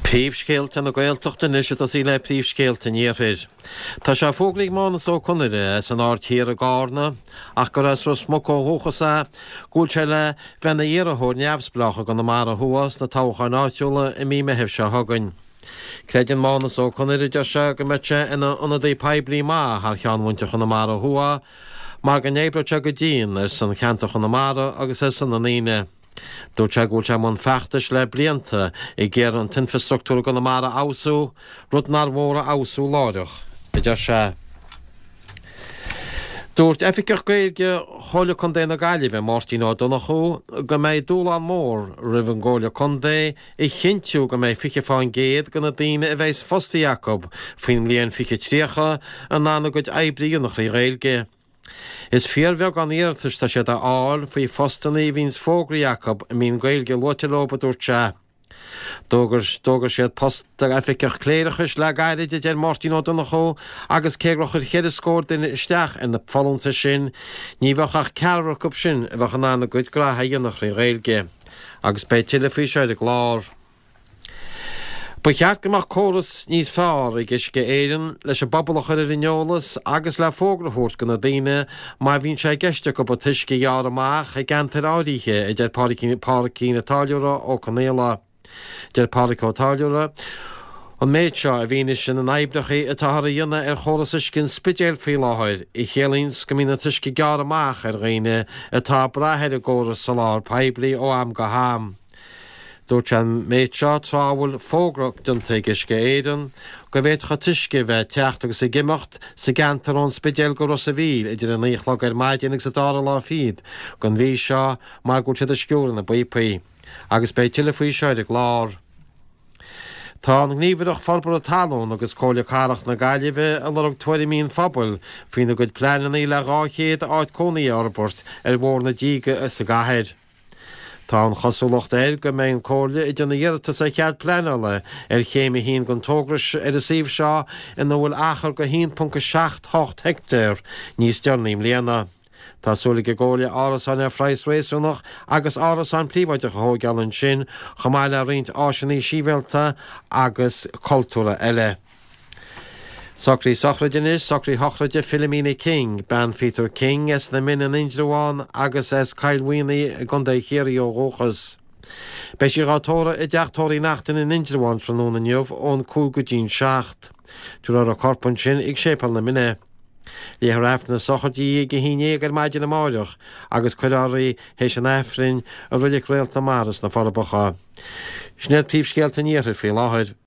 Príomhscéalta na Gaeltachta anois ag tosaí le príomhscéalta an Iarthair. Tá sé fógraithe ag Mánus Ó Conaire as an Aird Thiar i gCarna, ach gur as Ros Muc ó dhúchas é, go bhfuil sé le bheith ina iarrthóir neamhspleách i gConamara Thuaidh sna toghcháin áitiúla i mí Meithimh seo chugainn. Creideann Mánus Ó Conaire, a deir sé, go mbeidh sé ina ionadaí poiblí maith thar cheann mhuintir Chonamara Thuaidh mar go n-oibreoidh sé go dian ar son cheantar Chonamara agus ar son na ndaoine. Dúirt sé go bhfuil sé i mbun feachtais le blianta ag iarraidh an t-infreastruchtúr i gConamara a fheabhsú, rud nár mhór a fheabhsú láithreach, a deir sé. Dúirt Oifigeach Gaeilge Chomhairle Contae na Gaillimhe, Máirtín Ó Donnchú, go mbeidh dúshlán mór roimh an gComhairle Contae a chinntiú go mbeidh 20% de na daoine a bheas fostaithe acu faoin mbliain 2030 in ann a gcuid oibre a dhéanamh trí Ghaeilge. Is fíorbheagán iarratais atá siad a fháil faoi phostanna a bhíonns fógraithe acu a mbíonn Gaeilge luaite leo, a dúirt sé. D'fhógair siad post d'oifigeach cléireachais le gairid, a deir Máirtín Ó Donnchú, agus cé gur chuir cheithre scór duine isteach ar na folúntais sin, ní bheadh ach ceathrar acu sin a bheadh in ann a gcuid graithe a dhéanamh thrí Ghaeilge. Agus beidh tuilleadh faoi seo ar an gclár. Ba cheart go mbeadh córas níos fearr ag Uisce Éireann leis an bpobal a chur ar an eolas agus le fógra a thabhairt do na daoine má bhíonn sé i gceist acu an t-uisce a ghearradh amach i gceantair áirithe, a deir Pádraicín Ó Táilliúra Ó Conaola. Deir Pádraig Ó Táilliúra an méid seo i bhfianaise na n-oibreacha atáthar a dhéanamh ar chóras uisce an Spidéil faoi láthair, a chiallaíonns go mbíonn an t-uisce gearrtha amach ar dhaoine atá ag brath ar an gcóras soláthair poiblí ó am go ham. Dúirt sé an méid seo tráth a bhfuil fógra déanta ag Uisce Éireann go bhféadfadh an t-uisce a bheith ag teacht agus ag imeacht sa gceantar ón Spidéal go Ros a' Mhíl idir a 9 a chlog ar maidin agus an dara lá fichead den mhí seo mar go bhfuil siad ag sciúradh na bpíopaí. Agus beidh tuilleadh faoi seo ar an gclár. Tá an Ghníomhaireacht Forbartha Talún agus Comhairle Cathrach na Gaillimhe ag lorg tuairimí an phobail faoina gcuid pleananna le 200 áit cónaithe a fhorbairt ar Bhóthar na Díge sa gcathair. Tá an chosúlacht air go mbeidh an Comhairle ag déanamh iarratas ar chead pleanála ar chéim a haon den togra ar an suíomh seo ina bhfuil achar de 1.78 heicteár níos deireanaí i mbliana. Tá súil ag an gComhairle árasáin ar phraghas réasúnach agus árasáin príobháideacha a thóigeáil ansin chomh maith le roinnt áiseanna sibhialta agus cultúrtha eile. Socruithe sochraide anois, socruithe sochraide Philomena King, bean Pheter King as na Mine in Indreabhán agus as Cill Mhaonaigh i gContae Chiarraí ó dhúchas. Beidh sí dhá tórramh i dTeach Tórraimh Uí Neachtain in Indreabhán tráthnóna inniu ón 5 go dtí'n 7. Tabharfar a corp ansin ag Séipéal na Mine. Léifear Aifreann na sochraide di ag a haon dhéag ar maidin amáireach agus cuirfear í théis an Aifrinn i Reilig Réalt na Mara sna Forbacha. Sin iad príomhscéalta an Iarthair faoi láthair.